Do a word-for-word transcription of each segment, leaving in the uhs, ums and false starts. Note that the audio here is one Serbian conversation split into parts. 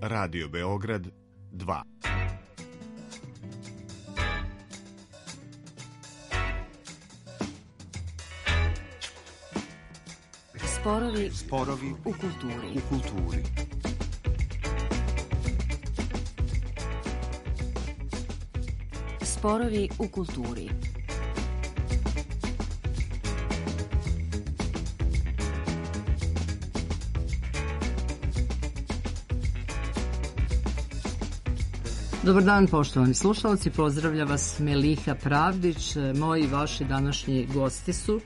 Radio Beograd dva. Sporovi, Sporovi u kulturi. U kulturi. Sporovi u kulturi. Dobar dan, poštovani slušalci, pozdravlja vas Meliha Pravdić. Moji i vaši današnji gosti su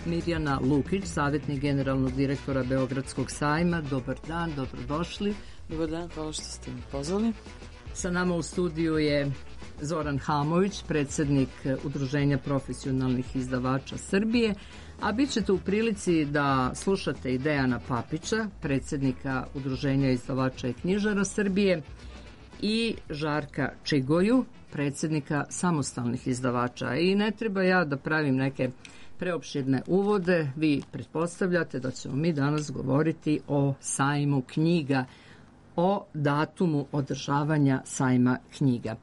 Mirjana Lukić, savjetnik generalnog direktora Beogradskog sajma. Dobar dan, dobrodošli. Dobar dan, hvala što ste mi pozvali. Sa nama u studiju je Zoran Hamović, predsjednik Udruženja profesionalnih izdavača Srbije, a bit ćete u prilici da slušate i Dejana Papića, predsjednika Udruženja izdavača i knjižara Srbije, i Žarka Čigoju, predsjednika samostalnih izdavača. I ne treba ja da pravim neke preopširne uvode, vi pretpostavljate da ćemo mi danas govoriti o sajmu knjiga, o datumu održavanja sajma knjiga.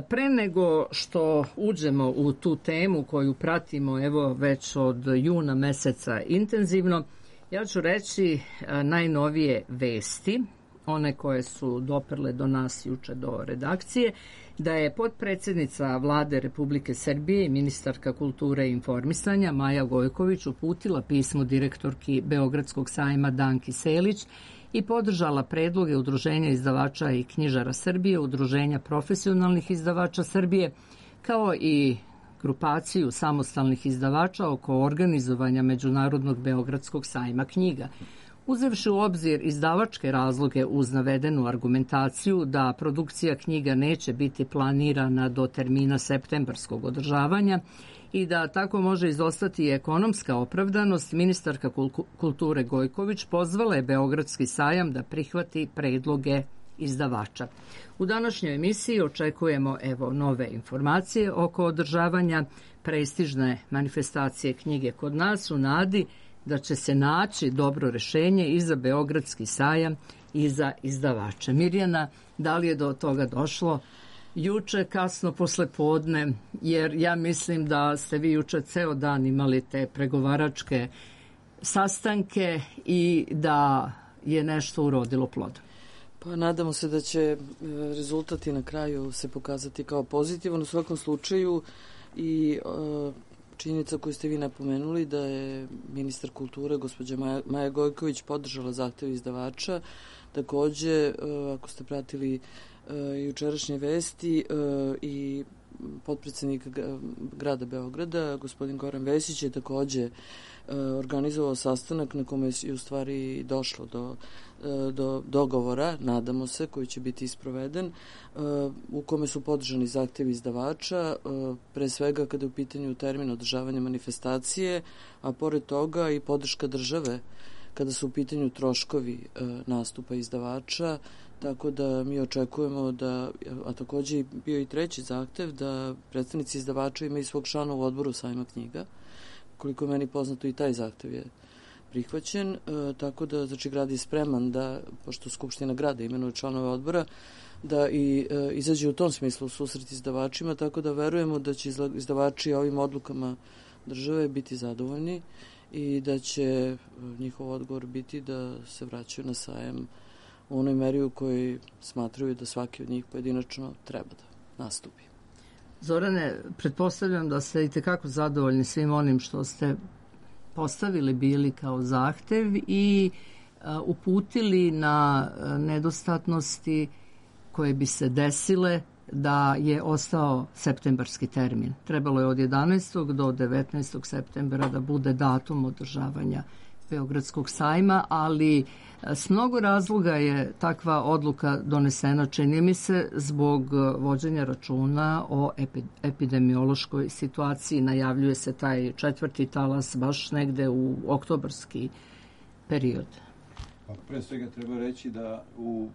Pre nego što uđemo u tu temu koju pratimo evo već od juna meseca intenzivno, ja ću reći najnovije vesti, one koje su doprle do nas juče do redakcije, da je potpredsjednica Vlade Republike Srbije i ministarka kulture i informisanja Maja Gojković uputila pismo direktorki Beogradskog sajma Danki Selić i podržala predloge Udruženja izdavača i knjižara Srbije, Udruženja profesionalnih izdavača Srbije, kao i grupaciju samostalnih izdavača oko organizovanja Međunarodnog Beogradskog sajma knjiga. Uzevši u obzir izdavačke razloge uz navedenu argumentaciju da produkcija knjiga neće biti planirana do termina septembarskog održavanja i da tako može izostati i ekonomska opravdanost, ministarka kulture Gojković pozvala je Beogradski sajam da prihvati predloge izdavača. U današnjoj emisiji očekujemo evo nove informacije oko održavanja prestižne manifestacije knjige kod nas u nadi da će se naći dobro rešenje i za Beogradski sajam i za izdavače. Mirjana, da li je do toga došlo juče kasno posle podne, jer ja mislim da ste vi juče ceo dan imali te pregovaračke sastanke i da je nešto urodilo plodom. Pa nadamo se da će rezultati na kraju se pokazati kao pozitivan. U svakom slučaju i uh, činjenica koju ste vi napomenuli da je ministar kulture gospođa Maja, Maja Gojković podržala zahtev izdavača. Takođe, ako ste pratili jučerašnje vesti, i potpredsednik grada Beograda, gospodin Goran Vesić, je takođe organizovao sastanak na kome je u stvari došlo do, do dogovora, nadamo se, koji će biti isproveden, u kome su podržani zahtevi izdavača, pre svega kada je u pitanju termin održavanja manifestacije, a pored toga i podrška države kada su u pitanju troškovi nastupa izdavača, tako da mi očekujemo da, a takođe bio i treći zahtev, da predstavnici izdavača imaju svog člana u odboru sajma knjiga. Koliko je meni poznato i taj zahtev je prihvaćen, e, tako da znači grad je spreman da, pošto Skupština grada imenuje članove odbora, da i e, izađe u tom smislu u susret izdavačima, tako da verujemo da će izdavači ovim odlukama države biti zadovoljni i da će njihov odgovor biti da se vraćaju na sajam u onoj meri u kojoj smatraju da svaki od njih pojedinačno treba da nastupi. Zorane, pretpostavljam da ste i tekako zadovoljni svim onim što ste postavili bili kao zahtev i a, uputili na a, nedostatnosti koje bi se desile da je ostao septembarski termin. Trebalo je od jedanaestog do devetnaestog septembra da bude datum održavanja Beogradskog sajma, ali s mnogo razloga je takva odluka donesena, čini mi se, zbog vođenja računa o epidemiološkoj situaciji. Najavljuje se taj četvrti talas baš negde u oktobarski period. Pa pre svega treba reći da u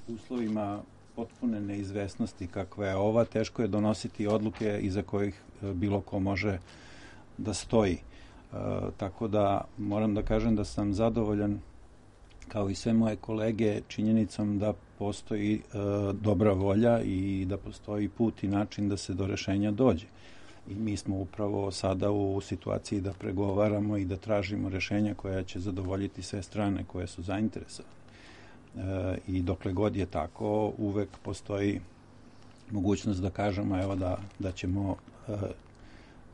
uslovima potpune neizvesnosti kakva je ova, teško je donositi odluke iza kojih bilo ko može da stoji. E, tako da moram da kažem da sam zadovoljan kao i sve moje kolege, činjenicom da postoji e, dobra volja i da postoji put i način da se do rešenja dođe. I mi smo upravo sada u situaciji da pregovaramo i da tražimo rešenja koja će zadovoljiti sve strane koje su zainteresovane. E, I dokle god je tako, uvek postoji mogućnost da kažemo evo da, da ćemo e,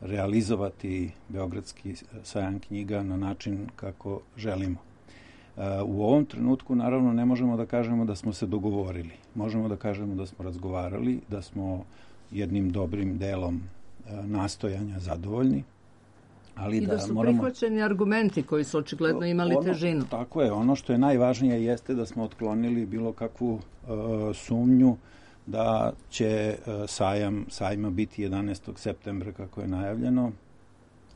realizovati Beogradski sajam knjiga na način kako želimo. E, u ovom trenutku naravno ne možemo da kažemo da smo se dogovorili. Možemo da kažemo da smo razgovarali, da smo jednim dobrim delom nastojanja zadovoljni, ali i da, da su moramo... prihvaćeni argumenti koji su očigledno imali ono, težinu. Tako je, ono što je najvažnije jeste da smo otklonili bilo kakvu uh, sumnju da će uh, sajam sajma biti jedanaestog septembra kako je najavljeno,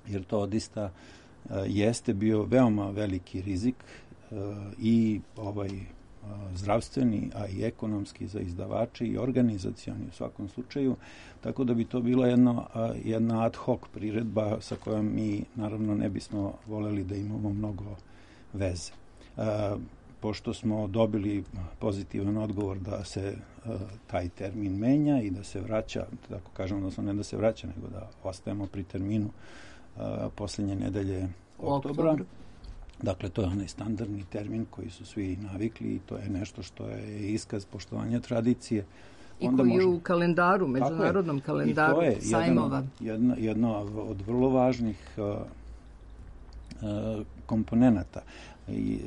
jer to odista uh, jeste bio veoma veliki rizik uh, i ovaj zdravstveni, a i ekonomski za izdavače i organizacioni u svakom slučaju, tako da bi to bila jedno, jedna ad hoc priredba sa kojom mi naravno ne bismo voleli da imamo mnogo veze. E, pošto smo dobili pozitivan odgovor da se e, taj termin menja i da se vraća, tako kažem, odnosno ne da se vraća, nego da ostajemo pri terminu e, poslednje nedelje oktobra. Oktober. Dakle, to je onaj standardni termin koji su svi navikli i to je nešto što je iskaz poštovanja tradicije. I onda koji je u kalendaru, međunarodnom kalendaru sajmova. Jedno, jedno od vrlo važnih uh, uh, komponenata. I,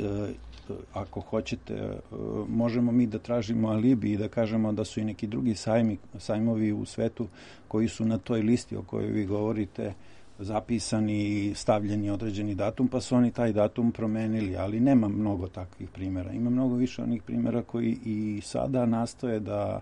uh, ako hoćete, uh, možemo mi da tražimo alibi i da kažemo da su i neki drugi sajmi, sajmovi u svetu koji su na toj listi o kojoj vi govorite zapisani i stavljeni određeni datum, pa su oni taj datum promenili, ali nema mnogo takvih primjera. Ima mnogo više onih primjera koji i sada nastoje da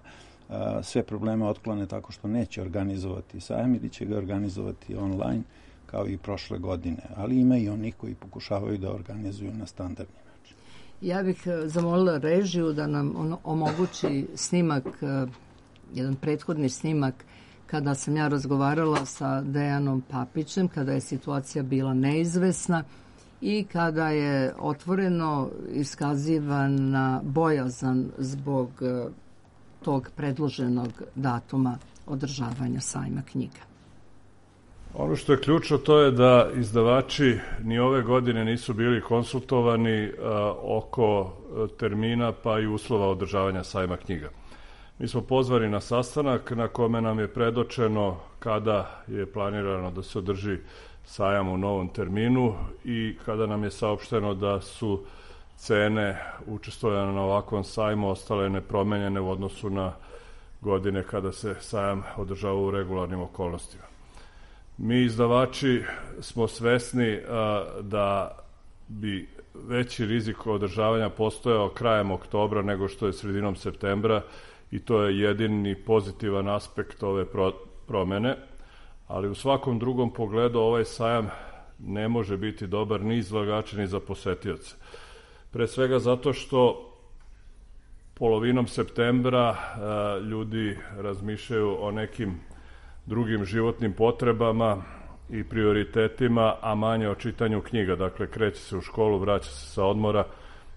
a, sve probleme otklone tako što neće organizovati sajam ili će ga organizovati online kao i prošle godine, ali ima i onih koji pokušavaju da organizuju na standardni način. Ja bih zamolila režiju da nam ono omogući snimak, jedan prethodni snimak kada sam ja razgovarala sa Dejanom Papićem, kada je situacija bila neizvesna i kada je otvoreno iskazivana bojazan zbog tog predloženog datuma održavanja sajma knjiga. Ono što je ključno to je da izdavači ni ove godine nisu bili konsultovani a, oko termina pa i uslova održavanja sajma knjiga. Mi smo pozvani na sastanak na kome nam je predočeno kada je planirano da se održi sajam u novom terminu i kada nam je saopšteno da su cene učestvovanja na ovakvom sajmu ostale nepromenjene u odnosu na godine kada se sajam održava u regularnim okolnostima. Mi izdavači smo svesni a, da bi veći rizik održavanja postojao krajem oktobra nego što je sredinom septembra i to je jedini pozitivan aspekt ove pro, promene, ali u svakom drugom pogledu ovaj sajam ne može biti dobar ni izlagača ni za posetioce. Pre svega zato što polovinom septembra a, ljudi razmišljaju o nekim drugim životnim potrebama i prioritetima, a manje o čitanju knjiga. Dakle, kreće se u školu, vraća se sa odmora.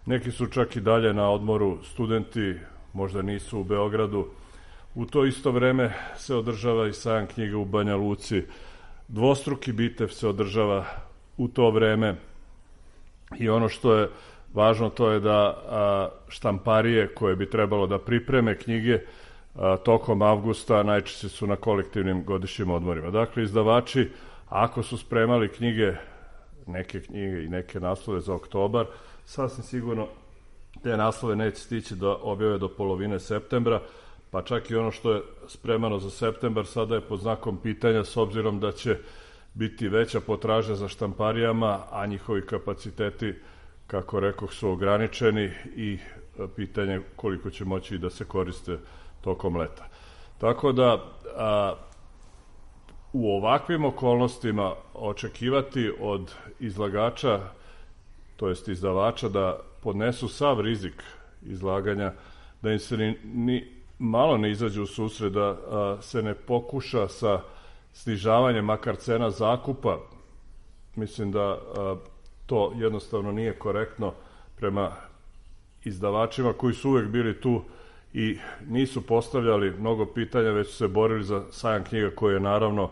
Neki su čak i dalje na odmoru, studenti možda nisu u Beogradu. U to isto vreme se održava i sajam knjiga u Banja Luci. Dvostruki bitev se održava u to vreme. I ono što je važno to je da a, štamparije koje bi trebalo da pripreme knjige a, tokom avgusta najčešće su na kolektivnim godišnjim odmorima. Dakle, izdavači, ako su spremali knjige, neke knjige i neke naslove za oktobar, sasvim sigurno te naslove neće stići da objave do polovine septembra, pa čak i ono što je spremano za septembar sada je pod znakom pitanja s obzirom da će biti veća potražnja za štamparijama, a njihovi kapaciteti, kako rekoh, su ograničeni i pitanje koliko će moći da se koriste tokom leta. Tako da a, u ovakvim okolnostima očekivati od izlagača, to jest izdavača, da podnesu sav rizik izlaganja, da im se ni, ni malo ne izađe u susret, da a, se ne pokuša sa snižavanjem makar cena zakupa. Mislim da a, to jednostavno nije korektno prema izdavačima koji su uvek bili tu i nisu postavljali mnogo pitanja, već su se borili za sajam knjiga koji je naravno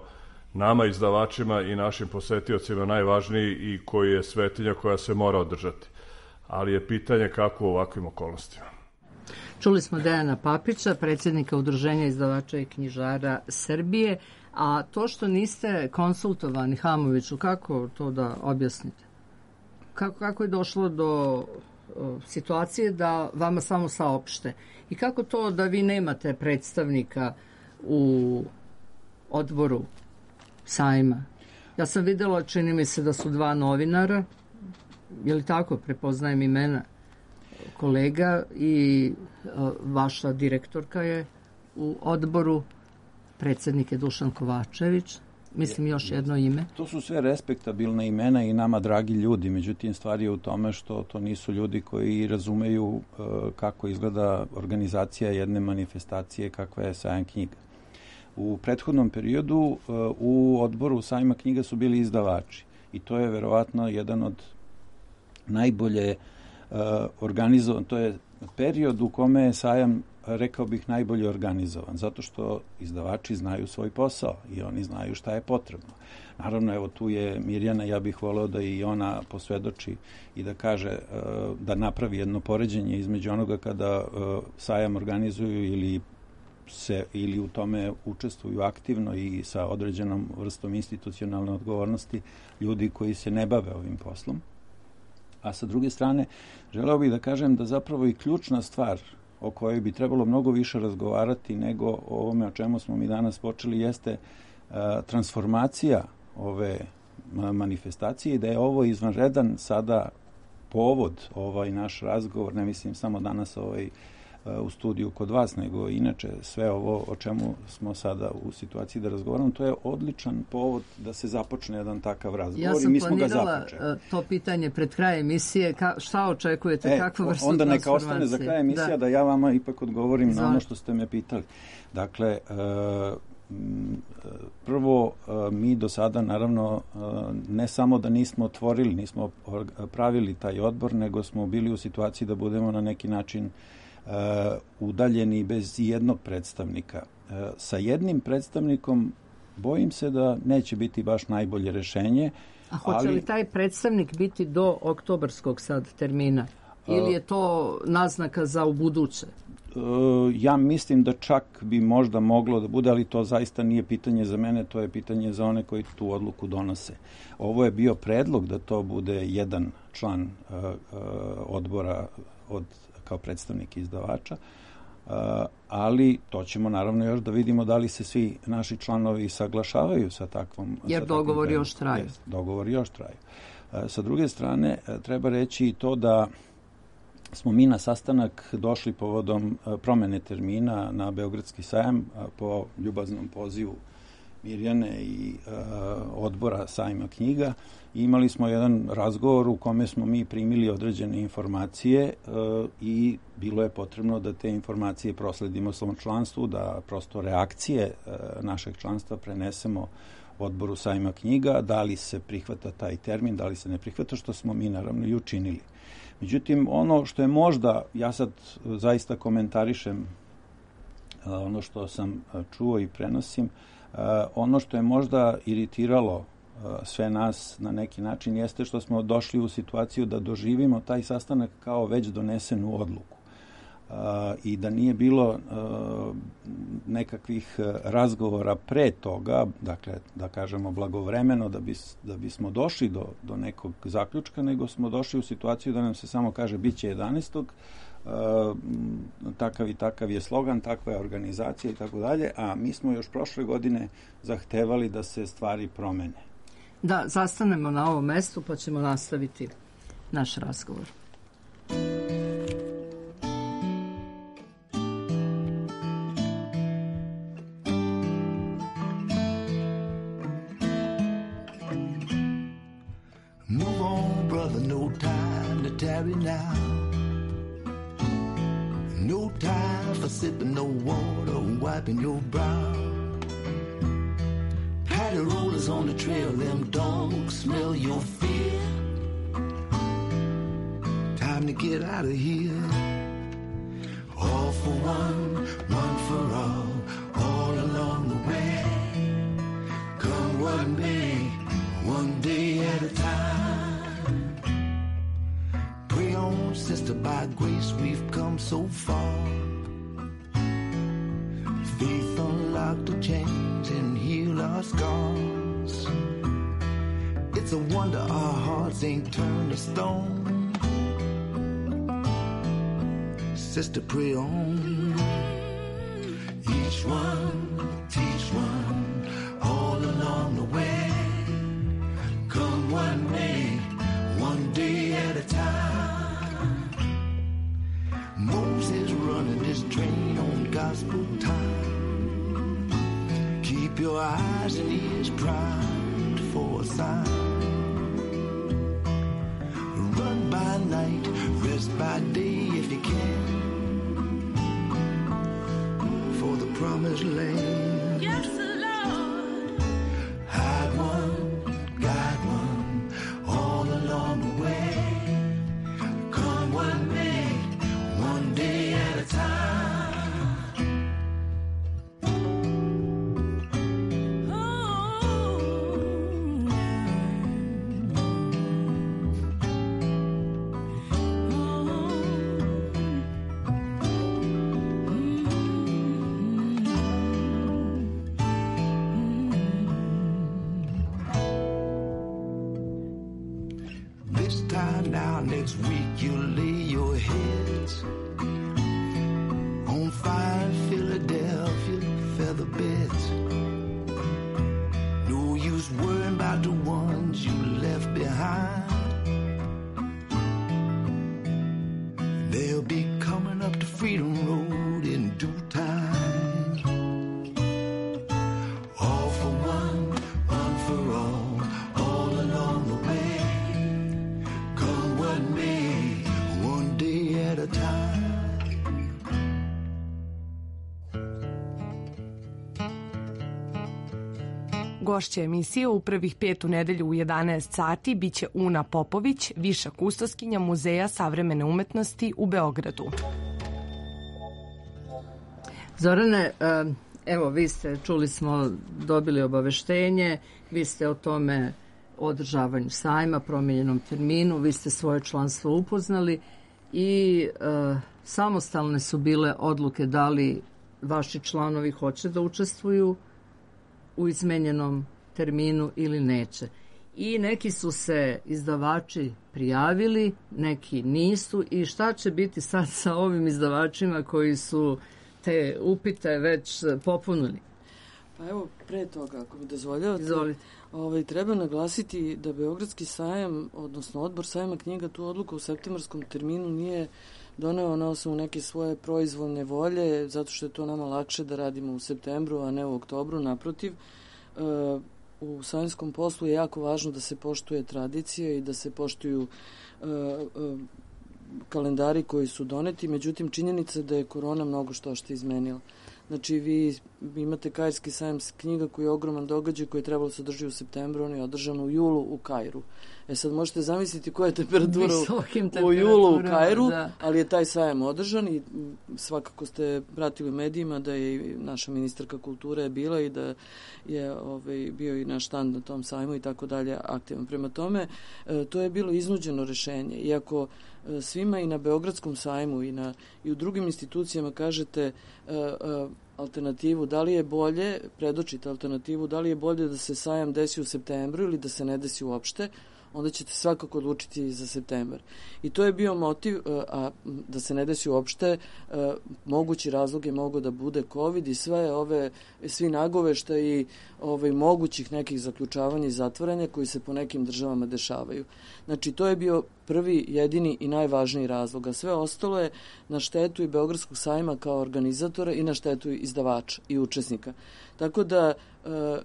nama izdavačima i našim posetiocima najvažniji i koji je svetinja koja se mora održati. Ali je pitanje kako u ovakvim okolnostima. Čuli smo Dejana Papića, predsjednika Udruženja izdavača i knjižara Srbije, a to što niste konsultovani Hamoviću, kako to da objasnite? Kako, kako je došlo do o, situacije da vama samo saopšte? I kako to da vi nemate predstavnika u odboru sajma? Ja sam videla, čini mi se da su dva novinara, je li tako, prepoznajem imena kolega, i o, vaša direktorka je u odboru, predsjednik je Dušan Kovačević, mislim još jedno ime. To su sve respektabilne imena i nama dragi ljudi, međutim stvar je u tome što to nisu ljudi koji razumeju uh, kako izgleda organizacija jedne manifestacije kakva je sajam knjiga. U prethodnom periodu uh, u odboru sajma knjiga su bili izdavači i to je verovatno jedan od najbolje uh, organizovan, to je period u kome je sajam, rekao bih, najbolje organizovan, zato što izdavači znaju svoj posao i oni znaju šta je potrebno. Naravno, evo tu je Mirjana, ja bih voleo da i ona posvedoči i da kaže, da napravi jedno poređenje između onoga kada sajam organizuju ili se ili u tome učestvuju aktivno i sa određenom vrstom institucionalne odgovornosti ljudi koji se ne bave ovim poslom. A sa druge strane, želeo bih da kažem da zapravo i ključna stvar o kojoj bi trebalo mnogo više razgovarati nego o ovome o čemu smo mi danas počeli jeste a, transformacija ove a, manifestacije i da je ovo izvanredan sada povod, ovaj naš razgovor, ne mislim samo danas ovaj u studiju kod vas, nego inače sve ovo o čemu smo sada u situaciji da razgovaramo, to je odličan povod da se započne jedan takav razgovor. Ja sam i mi smo ga planirala započeli. To pitanje pred kraj emisije, ka, šta očekujete, e, kakvu vrstu onda transformacije? Onda neka ostane za kraj emisija da, da ja vama ipak odgovorim Zvar. na ono što ste me pitali. Dakle, uh, prvo, mi do sada naravno ne samo da nismo otvorili, nismo pravili taj odbor, nego smo bili u situaciji da budemo na neki način Uh, udaljeni bez jednog predstavnika. Uh, sa jednim predstavnikom bojim se da neće biti baš najbolje rešenje. A hoće ali, li taj predstavnik biti do oktobarskog sad termina? Ili je to naznaka za ubuduće? Uh, ja mislim da čak bi možda moglo da bude, ali to zaista nije pitanje za mene, to je pitanje za one koji tu odluku donose. Ovo je bio predlog da to bude jedan član uh, uh, odbora od kao predstavnik izdavača, ali to ćemo naravno još da vidimo da li se svi naši članovi saglašavaju sa takvom... Jer sa dogovori još traju. Jest, dogovori još traju. Sa druge strane, treba reći i to da smo mi na sastanak došli povodom promene termina na Beogradski sajam po ljubaznom pozivu Mirjane i uh, odbora sajma knjiga. I imali smo jedan razgovor u kome smo mi primili određene informacije uh, i bilo je potrebno da te informacije prosledimo svom članstvu, da prosto reakcije uh, našeg članstva prenesemo odboru sajma knjiga, da li se prihvata taj termin, da li se ne prihvata, što smo mi naravno i učinili. Međutim, ono što je možda, ja sad zaista komentarišem uh, ono što sam uh, čuo i prenosim, Uh, ono što je možda iritiralo uh, sve nas na neki način jeste što smo došli u situaciju da doživimo taj sastanak kao već donesenu odluku. Uh, I da nije bilo uh, nekakvih razgovora pre toga, dakle, da kažemo blagovremeno, da, bis, da bismo došli do, do nekog zaključka, nego smo došli u situaciju da nam se samo kaže bit će jedanaestog Uh, takav i takav je slogan, takva je organizacija i tako dalje, a mi smo još prošle godine zahtevali da se stvari promene. Da, zastanemo na ovom mestu pa ćemo nastaviti naš razgovor. Move on, brother, no time to tarry now. No time for sipping no water and wiping your brow. Patty rollers on the trail, them dogs smell your fear. Time to get out of here. come so far. Faith unlocked the chains and heal our scars. It's a wonder our hearts ain't turned to stone. Sister, pray on. Each one, teach one, all along the way. Come one day, one day at a time. Moses running this train on gospel time. Keep your eyes and ears primed for a sign. Run by night, rest by day if you can. For the promised land. Yes, Lord. Hide one, guide one, all along the way. Come one day, one day at a time. This time now, next week, you'll lay your heads on fire in Philadelphia feather beds. No use worrying about the ones you left behind. They'll be coming up the Freedom Road in due time. All for one, one for all, all along the way. Come one day, one day at a time. Gošća emisije u prvih pet u nedelju u jedanaest sati biće Una Popović, viša kustoskinja Muzeja savremene umetnosti u Beogradu. Zorane, evo vi ste, čuli smo, dobili obaveštenje, vi ste o tome održavanju sajma, promijenjenom terminu, vi ste svoje članstvo upoznali i e, samostalne su bile odluke da li vaši članovi hoće da učestvuju u izmenjenom terminu ili neće. I neki su se izdavači prijavili, neki nisu. I šta će biti sad sa ovim izdavačima koji su te upite već popunili? Pa evo, pre toga, ako mi dozvoljavate, ovaj, treba naglasiti da Beogradski sajam, odnosno odbor sajma knjiga, tu odluku u septembarskom terminu nije doneo na osnovu neke svoje proizvoljne volje, zato što je to nama lakše da radimo u septembru, a ne u oktobru. Naprotiv, uh, u sajmskom poslu je jako važno da se poštuje tradicija i da se poštuju uh, uh, kalendari koji su doneti, međutim činjenica je da je korona mnogo što što izmenila. Znači, vi imate Kairski sajam knjiga koji je ogroman događaj koji je trebalo se održati u septembru, on je održan u julu u Kairu. E sad možete zamisliti koja je temperatura u, u julu u Kairu, da. Ali je taj sajam održan i svakako ste pratili u medijima da je i naša ministarka kulture bila i da je ovaj, bio i naš štand na tom sajmu i tako dalje aktivan. Prema tome, e, to je bilo iznuđeno rešenje. Iako e, svima i na Beogradskom sajmu i, na, i u drugim institucijama kažete e, e, alternativu, da li je bolje, predočite alternativu, da li je bolje da se sajam desi u septembru ili da se ne desi uopšte, onda ćete svakako odlučiti za septembar. I to je bio motiv, a da se ne desi uopšte, mogući razlog je mogao da bude COVID i sve ove, svi nagovešta i ovaj, mogućih nekih zaključavanja i zatvaranja koji se po nekim državama dešavaju. Znači, to je bio prvi, jedini i najvažniji razlog, a sve ostalo je na štetu i Beogradskog sajma kao organizatora i na štetu izdavača i učesnika. Tako da, e,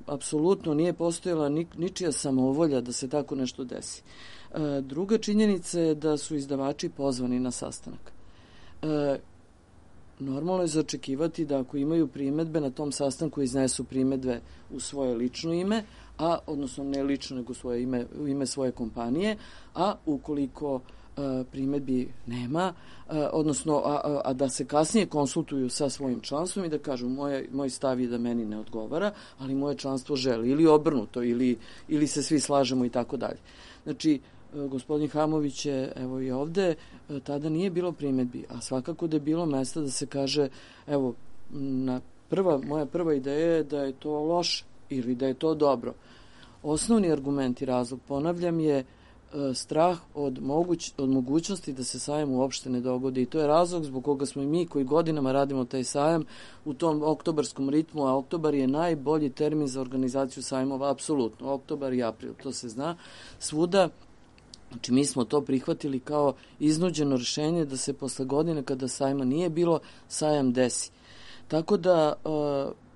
apsolutno nije postojala ni, ničija samovolja da se tako nešto desi. E, druga činjenica je da su izdavači pozvani na sastanak. E, normalno je zaočekivati da ako imaju primedbe na tom sastanku iznesu primedbe u svoje lično ime, a odnosno ne lično nego svoje ime, u ime svoje kompanije, a ukoliko a, primedbi nema, a, odnosno a, a, a da se kasnije konsultuju sa svojim članstvom i da kažu moje, moj stav je da meni ne odgovara, ali moje članstvo želi ili obrnuto ili, ili se svi slažemo i tako dalje. Znači, gospodin Hamović je, evo i ovde, tada nije bilo primedbi, a svakako da je bilo mesta da se kaže, evo, na prva, moja prva ideja je da je to loše ili da je to dobro. Osnovni argument i razlog, ponavljam, je strah od, moguć, od mogućnosti da se sajam uopšte ne dogodi i to je razlog zbog koga smo i mi koji godinama radimo taj sajam u tom oktobarskom ritmu, a oktobar je najbolji termin za organizaciju sajmova, apsolutno, oktobar i april, to se zna svuda. Znači mi smo to prihvatili kao iznuđeno rešenje da se posle godine kada sajma nije bilo, sajam desi. Tako da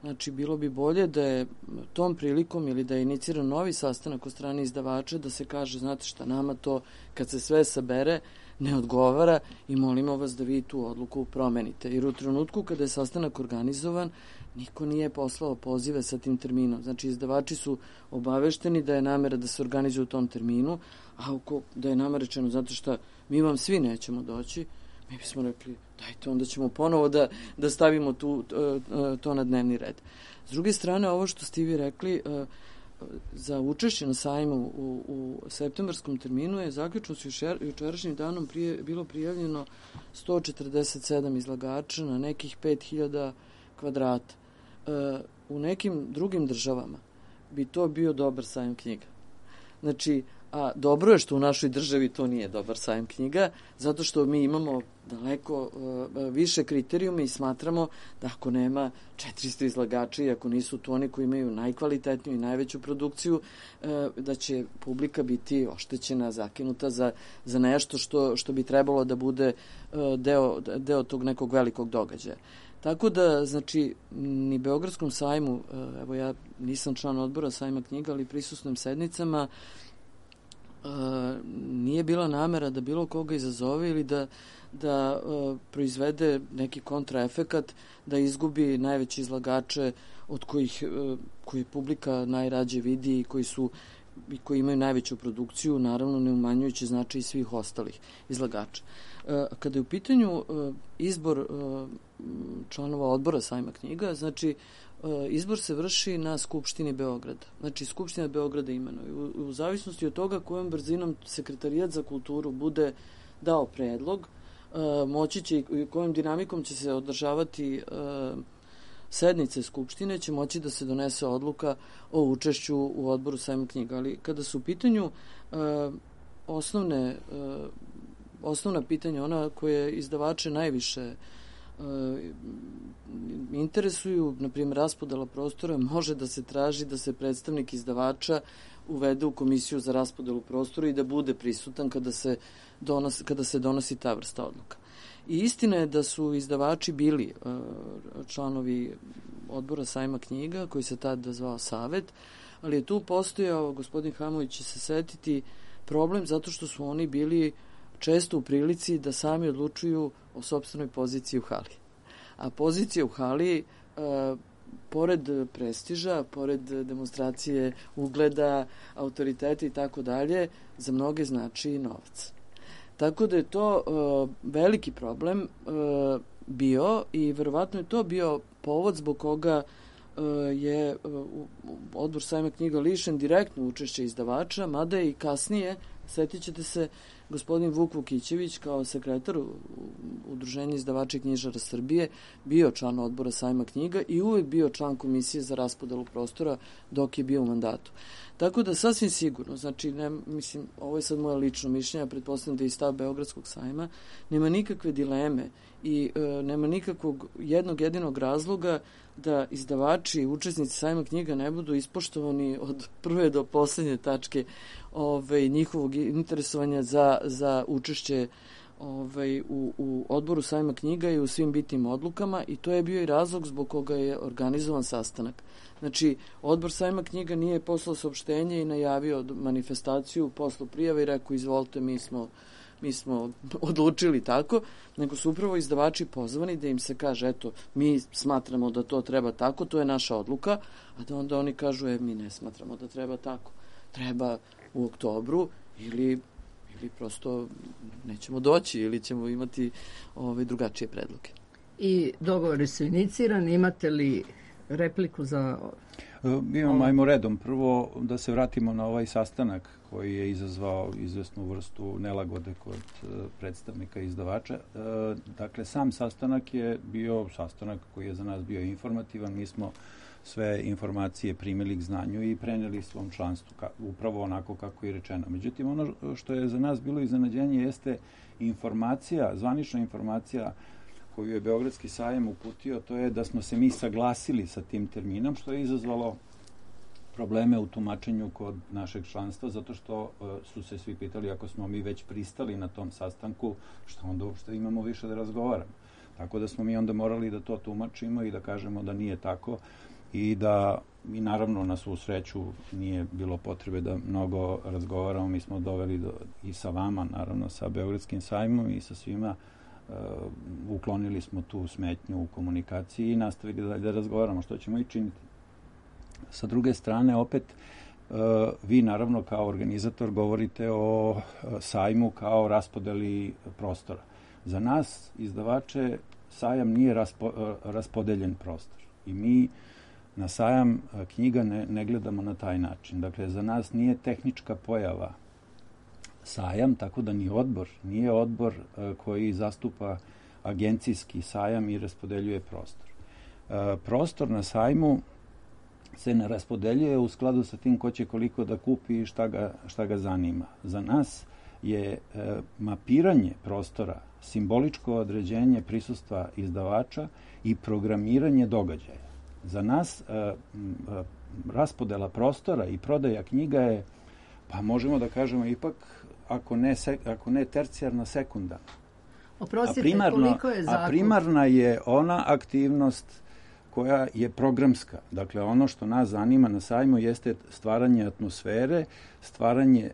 znači, bilo bi bolje da je tom prilikom ili da je iniciran novi sastanak od strane izdavača da se kaže, znate šta, nama to kad se sve sabere ne odgovara i molimo vas da vi tu odluku promenite. Jer u trenutku kada je sastanak organizovan, niko nije poslao pozive sa tim terminom. Znači, izdavači su obavešteni da je namera da se organizuje u tom terminu, a ako da je nama rečeno, znate šta, mi vam svi nećemo doći, mi bismo rekli, dajte, onda ćemo ponovo da, da stavimo tu, to na dnevni red. S druge strane, ovo što ste vi rekli, za učešće na sajmu u, u septembarskom terminu je zaključno s jučerašnjim danom prije, bilo prijavljeno sto četrdeset sedam izlagača na nekih pet hiljada kvadrata. U nekim drugim državama bi to bio dobar sajam knjiga. Znači, a dobro je što u našoj državi to nije dobar sajam knjiga, zato što mi imamo daleko uh, više kriterijume i smatramo da ako nema četiristo izlagača i ako nisu to oni koji imaju najkvalitetniju i najveću produkciju, uh, da će publika biti oštećena, zakinuta za, za nešto što, što bi trebalo da bude uh, deo, deo tog nekog velikog događaja. Tako da, znači, ni Beogradskom sajmu, uh, evo ja nisam član odbora sajma knjiga, ali prisustvujem sednicama, Uh, nije bila namera da bilo koga izazove ili da, da uh, proizvede neki kontraefekat, da izgubi najveće izlagače od kojih uh, koji publika najrađe vidi i koji su i koji imaju najveću produkciju, naravno ne umanjujući značaj svih ostalih izlagača. Uh, kada je u pitanju uh, izbor uh, članova odbora sajma knjiga, znači izbor se vrši na Skupštini Beograda. Znači, Skupština Beograda imenuje. U, u zavisnosti od toga kojom brzinom Sekretarijat za kulturu bude dao predlog, uh, moći će i kojom dinamikom će se održavati uh, sednice Skupštine, će moći da se donese odluka o učešću u odboru sajma knjiga. Ali kada su u pitanju uh, osnovne, uh, osnovna pitanja, ona koje izdavače najviše interesuju, na primjer raspodela prostora, može da se traži da se predstavnik izdavača uvede u komisiju za raspodelu prostora i da bude prisutan kada se donosi, kada se donosi ta vrsta odluka. I istina je da su izdavači bili uh, članovi odbora sajma knjiga, koji se tada zvao Savet, ali je tu postojao, gospodin Hamović će se setiti, problem zato što su oni bili često u prilici da sami odlučuju o sopstvenoj poziciji u hali. A pozicija u hali, e, pored prestiža, pored demonstracije ugleda, autoriteta i tako dalje, za mnoge znači novac. Tako da je to e, veliki problem e, bio i verovatno je to bio povod zbog koga e, je e, odbor sajma knjiga lišen direktno učešće izdavača, mada je i kasnije, setit ćete se, gospodin Vuk Vukićević kao sekretar Udruženja izdavača i knjižara Srbije bio član odbora sajma knjiga i uvek bio član komisije za raspodelu prostora dok je bio u mandatu. Tako da sasvim sigurno, znači, ne, mislim, ovo je sad moje lično mišljenje, pretpostavljam da je i stav Beogradskog sajma, nema nikakve dileme i e, nema nikakvog jednog jedinog razloga da izdavači i učesnici sajma knjiga ne budu ispoštovani od prve do poslednje tačke ove, njihovog interesovanja za, za učešće ove, u, u odboru sajma knjiga i u svim bitnim odlukama i to je bio i razlog zbog koga je organizovan sastanak. Znači, odbor sajma knjiga nije poslao saopštenje i najavio manifestaciju, poslao prijave i rekao, izvolite, mi smo mi smo odlučili tako, nego su upravo izdavači pozvani da im se kaže, eto, mi smatramo da to treba tako, to je naša odluka, a da onda oni kažu, e, mi ne smatramo da treba tako. Treba u oktobru ili, ili prosto nećemo doći ili ćemo imati ove, drugačije predloge. I dogovori su inicirani, imate li repliku za... Imamo, ajmo redom. Prvo da se vratimo na ovaj sastanak koji je izazvao izvesnu vrstu nelagode kod predstavnika izdavača. Dakle, sam sastanak je bio sastanak koji je za nas bio informativan. Mi smo sve informacije primili k znanju i preneli svom članstvu, ka, upravo onako kako je rečeno. Međutim, ono što je za nas bilo iznenađenje jeste informacija, zvanična informacija koju je Beogradski sajam uputio, to je da smo se mi saglasili sa tim terminom, što je izazvalo probleme u tumačenju kod našeg članstva, zato što uh, su se svi pitali ako smo mi već pristali na tom sastanku, što onda uopšte imamo više da razgovaramo. Tako da smo mi onda morali da to tumačimo i da kažemo da nije tako i da, i naravno na svu sreću nije bilo potrebe da mnogo razgovaramo, mi smo doveli do, i sa vama, naravno sa Beogradskim sajmom i sa svima, uh, uklonili smo tu smetnju u komunikaciji i nastavili dalje da razgovaramo, što ćemo i činiti. Sa druge strane, opet, uh, vi naravno kao organizator govorite o uh, sajmu kao raspodeli prostora. Za nas, izdavače, sajam nije raspo, uh, raspodeljen prostor i mi na sajam uh, knjiga ne, ne gledamo na taj način. Dakle, za nas nije tehnička pojava sajam, tako da ni odbor, nije odbor uh, koji zastupa agencijski sajam i raspodeljuje prostor. Uh, prostor na sajmu se ne raspodeljuje u skladu sa tim ko će koliko da kupi i šta ga, šta ga zanima. Za nas je e, mapiranje prostora, simboličko određenje prisustva izdavača i programiranje događaja. Za nas e, e, raspodela prostora i prodaja knjiga je, pa možemo da kažemo ipak, ako ne, se, ako ne tercijarna, sekundarna. Oprostite, a primarno, koliko je zakup? A primarna je ona aktivnost koja je programska. Dakle, ono što nas zanima na sajmu jeste stvaranje atmosfere, stvaranje e,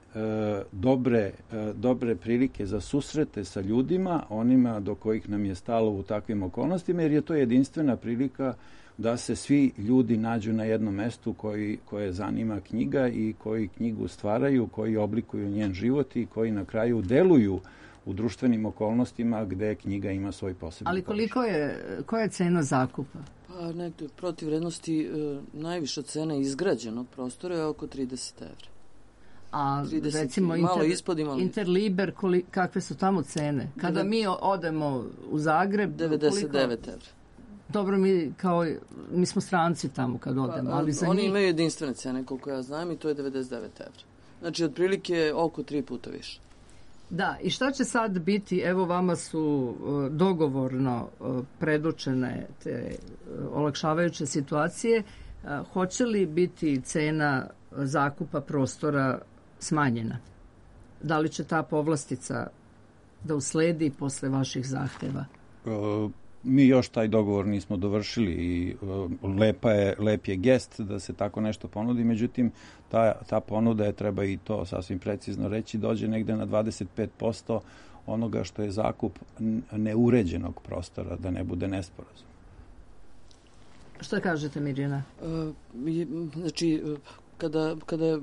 dobre, e, dobre prilike za susrete sa ljudima, onima do kojih nam je stalo u takvim okolnostima, jer je to jedinstvena prilika da se svi ljudi nađu na jednom mestu koji, koje zanima knjiga i koji knjigu stvaraju, koji oblikuju njen život i koji na kraju deluju u društvenim okolnostima gde knjiga ima svoj posebni. Ali koliko je, koja je cena zakupa? Pa nekde protiv vrednosti e, najviša cena izgrađenog prostora je oko trideset evra. A trideset, recimo malo inter, ispod, malo Interliber, koli, kakve su tamo cene? Kada mi odemo u Zagreb... devedeset devet koliko... evra. Dobro, mi kao mi smo stranci tamo kad odemo, pa, ali za oni njih... imaju jedinstvene cene, koliko ja znam, i to je devedeset devet evra. Znači, otprilike oko tri puta više. Da, i šta će sad biti, evo vama su uh, dogovorno uh, predočene te uh, olakšavajuće situacije, uh, hoće li biti cena zakupa prostora smanjena? Da li će ta povlastica da usledi posle vaših zahteva? Uh, mi još taj dogovor nismo dovršili i uh, lepa je, lep je gest da se tako nešto ponudi, međutim ta, ta ponuda je, treba i to sasvim precizno reći, dođe negde na dvadeset pet posto onoga što je zakup neuređenog prostora, da ne bude nesporazum. Šta kažete, Mirjana? Uh, znači, kada, kada,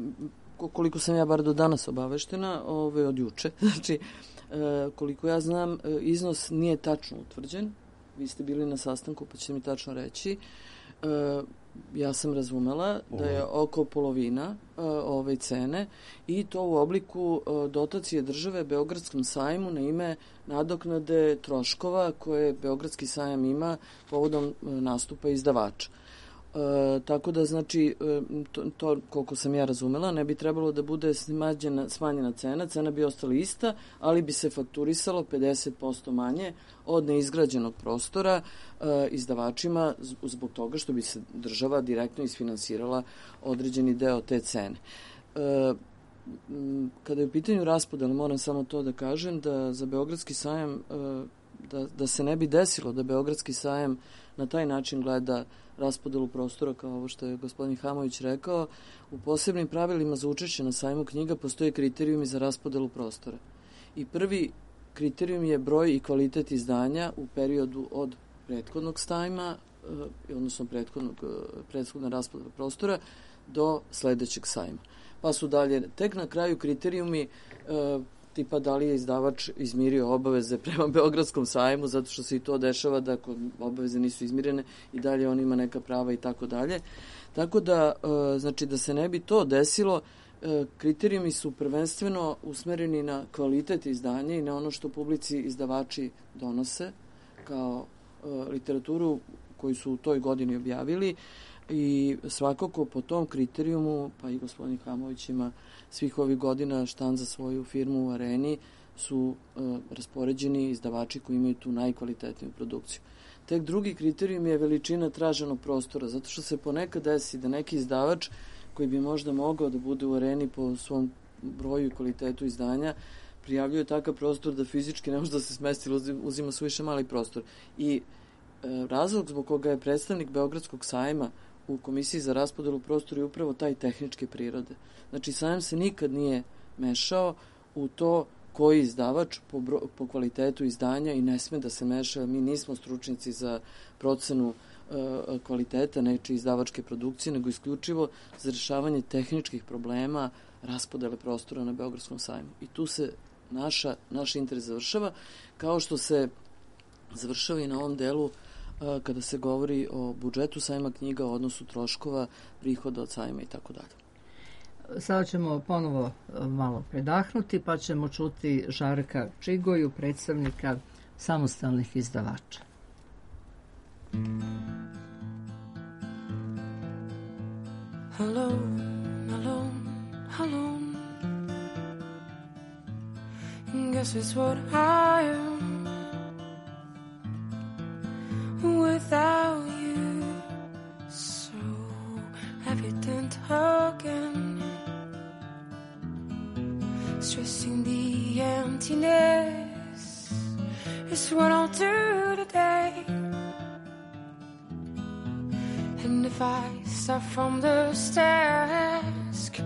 koliko sam ja bar do danas obaveštena, ove od juče, znači, uh, koliko ja znam, uh, iznos nije tačno utvrđen. Vi ste bili na sastanku, pa ćete mi tačno reći. Uh, ja sam razumela da je oko polovina uh, ove cene i to u obliku uh, dotacije države Beogradskom sajmu na ime nadoknade troškova koje Beogradski sajam ima povodom uh, nastupa izdavača. E, tako da, znači, to, to, koliko sam ja razumela, ne bi trebalo da bude smanjena, smanjena cena, cena bi ostala ista, ali bi se fakturisalo pedeset posto manje od neizgrađenog prostora e, izdavačima zbog toga što bi se država direktno isfinansirala određeni deo te cene. E, kada je u pitanju raspodela, moram samo to da kažem, da za Beogradski sajam, e, da, da se ne bi desilo da Beogradski sajam na taj način gleda raspodelu prostora, kao ovo što je gospodin Hamović rekao, u posebnim pravilima za učešće na sajmu knjiga postoje kriterijumi za raspodelu prostora. I prvi kriterijum je broj i kvalitet izdanja u periodu od prethodnog sajma, odnosno prethodnog, prethodna raspodela prostora, do sledećeg sajma. Pa su dalje, tek na kraju kriterijumi tipa da li je izdavač izmirio obaveze prema Beogradskom sajmu, zato što se i to dešava da ako obaveze nisu izmirene i dalje on ima neka prava i tako dalje. Tako da, znači da se ne bi to desilo, kriterijumi su prvenstveno usmereni na kvalitet izdanja i na ono što publici izdavači donose kao literaturu koju su u toj godini objavili i svakako po tom kriterijumu, pa i gospodin Hamović ima svih ovih godina štan za svoju firmu u Areni, su uh, raspoređeni izdavači koji imaju tu najkvalitetniju produkciju. Tek drugi kriterijum je veličina traženog prostora, zato što se ponekad desi da neki izdavač koji bi možda mogao da bude u Areni po svom broju i kvalitetu izdanja, prijavljuje takav prostor da fizički ne može da se smesti, uzima suviše mali prostor. I e, razlog zbog koga je predstavnik Beogradskog sajma u Komisiji za raspodelu prostora je upravo taj tehničke prirode. Znači, sajam se nikad nije mešao u to koji izdavač po, bro, po kvalitetu izdanja i ne sme da se meša. Mi nismo stručnici za procenu e, kvaliteta nečije izdavačke produkcije, nego isključivo za rešavanje tehničkih problema raspodele prostora na Beogradskom sajmu. I tu se naša, naš interes završava, kao što se završava i na ovom delu a, kada se govori o budžetu sajma knjiga, o odnosu troškova, prihoda od sajma i tako dalje. Sada ćemo ponovo malo predahnuti, pa ćemo čuti Žarka Čigoju, predstavnika samostalnih izdavača. Alone, alone, alone. Guess it's what I am without you. So evident again, stressing the emptiness is what I'll do today. And if I start from the task,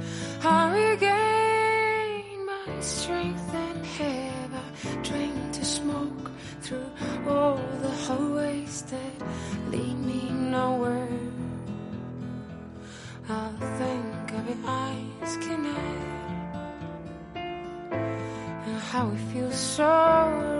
I regain my strength and have a drink to smoke through all the hallways that lead me nowhere. I'll think of your eyes connect and how it feels so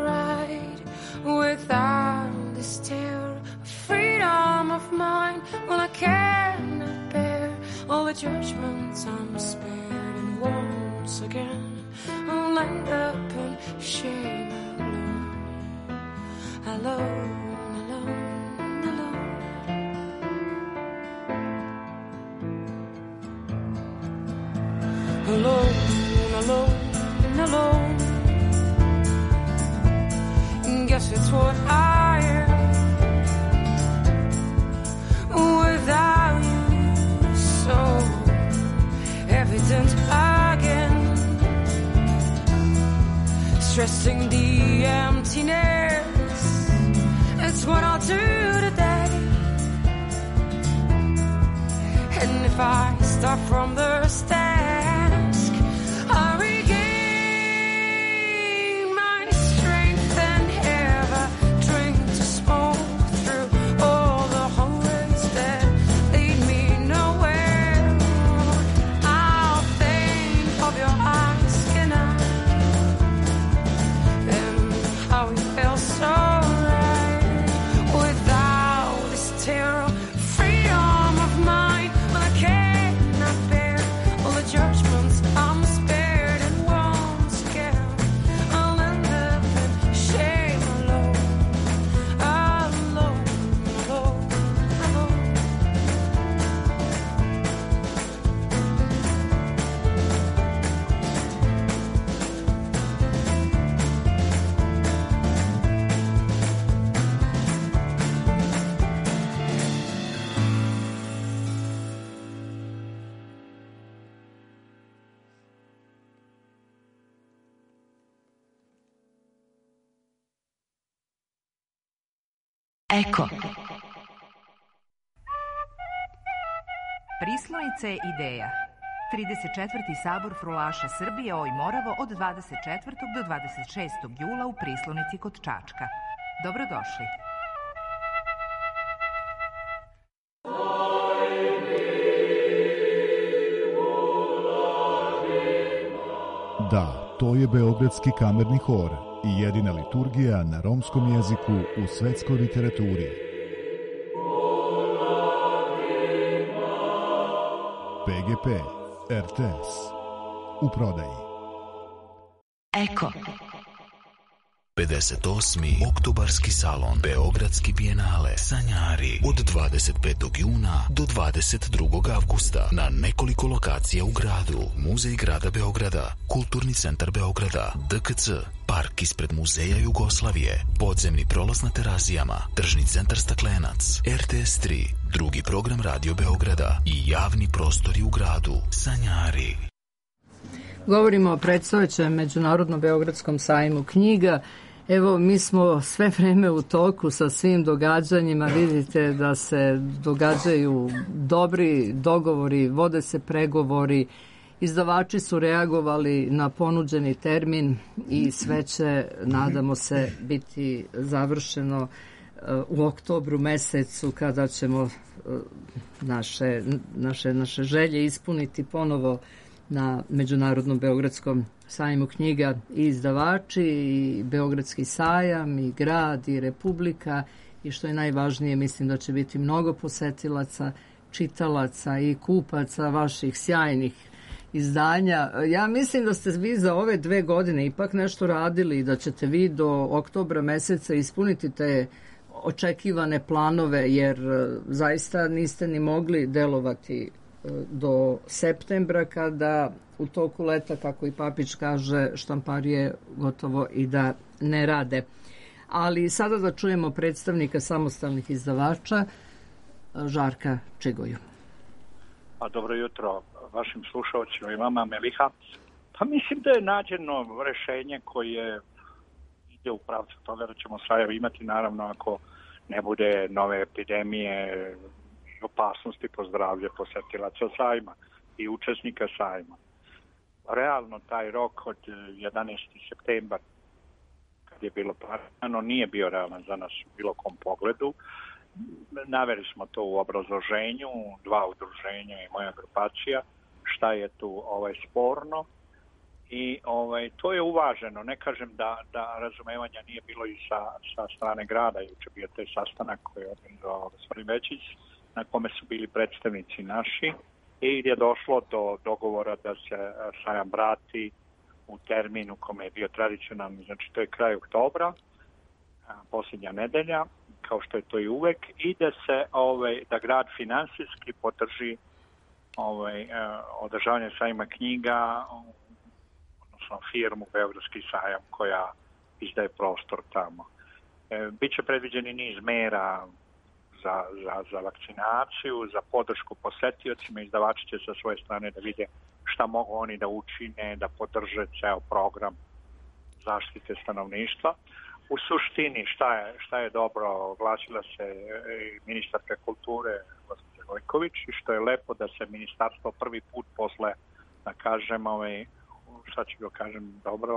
right without this terror of freedom of mind. When I cannot bear all the judgments I'm spared, and once again I'll end up in shame alone, alone, alone, alone. Alone, alone, alone. Guess it's what I am without you, so evident again, stressing the emptiness. It's what I'll do today. And if I start from the task, I regain my strength and have a drink to smoke through all the hallways that lead me nowhere. I'll think of your eyes tonight and how it felt so right without this terror, freedom of mind. When I cannot bear all the judgments I'm spared, and once again I'll end up in shame alone, alone, alone, alone. Eko. Prislonice ideja. trideset četvrti sabor frulaša Srbije Oj Moravo od dvadeset četvrtog do dvadeset šestog jula u Prislonici kod Čačka. Dobrodošli. Da. To je Beogradski kamerni hor i jedina liturgija na romskom jeziku u svetskoj literaturi. P G P, R T S, u prodaji. Eko. pedeset osmi oktobarski salon Beogradski bijenale Sanjari od dvadeset petog juna do dvadeset drugog avgusta na nekoliko lokacija u gradu. Muzej grada Beograda, Kulturni centar Beograda, D K C, park ispred Muzeja Jugoslavije, podzemni prolaz na Terazijama, tržni centar Staklenac, R T S tri, drugi program Radio Beograda i javni prostori u gradu. Sanjari. Govorimo o predstojećem Međunarodnom beogradskom sajmu knjiga. Evo, mi smo sve vreme u toku sa svim događanjima. Vidite da se događaju dobri dogovori, vode se pregovori. Izdavači su reagovali na ponuđeni termin i sve će, nadamo se, biti završeno u oktobru mesecu, kada ćemo naše, naše, naše želje ispuniti ponovo na Međunarodnom beogradskom sajmu knjiga, i izdavači, i Beogradski sajam, i grad, i Republika, i što je najvažnije, mislim da će biti mnogo posetilaca, čitalaca i kupaca vaših sjajnih izdanja. Ja mislim da ste vi za ove dve godine ipak nešto radili i da ćete vi do oktobra meseca ispuniti te očekivane planove, jer zaista niste ni mogli delovati do septembra, kada u toku leta, kako i Papić kaže, štamparije gotovo i da ne rade. Ali sada da čujemo predstavnika samostalnih izdavača, Žarka Čigoju. A dobro jutro vašim slušalcima i vama, Meliha. Pa mislim da je nađeno rešenje koje ide u pravcu toga da ćemo sajam imati, naravno ako ne bude nove epidemije, opasnosti po zdravlje posetilaca sajma i učesnika sajma. Realno taj rok od jedanaestog septembra, kad je bilo planirano, nije bio realan za nas u bilo kom pogledu. Naveli smo to u obrazloženju, dva udruženja i moja grupacija, šta je tu ovaj sporno, i ovaj to je uvaženo. Ne kažem da, da razumevanja nije bilo i sa, sa strane grada. Juče bio taj sastanak koji je organizovao gospodin Večić, na kome su bili predstavnici naši, i je došlo do dogovora da se sajam vrati u terminu kome je bio tradicionalni, znači to je kraj oktobra, posljednja nedelja, kao što je to i uvek, i da se ovaj, da grad finansijski podrži ovaj, održavanje sajma knjiga, odnosno firmu Beogradski sajam koja izdaje prostor tamo. E, biće predviđeni niz mera Za, za, za vakcinaciju, za podršku posetiocima. Izdavači će sa svoje strane da vide šta mogu oni da učine, da podrže ceo program zaštite stanovništva. U suštini šta je, šta je dobro, oglasila se ministarka kulture gospođa Gojković, i što je lepo da se ministarstvo prvi put posle, da kažem, ovaj, šta ću ga kažem, dobro,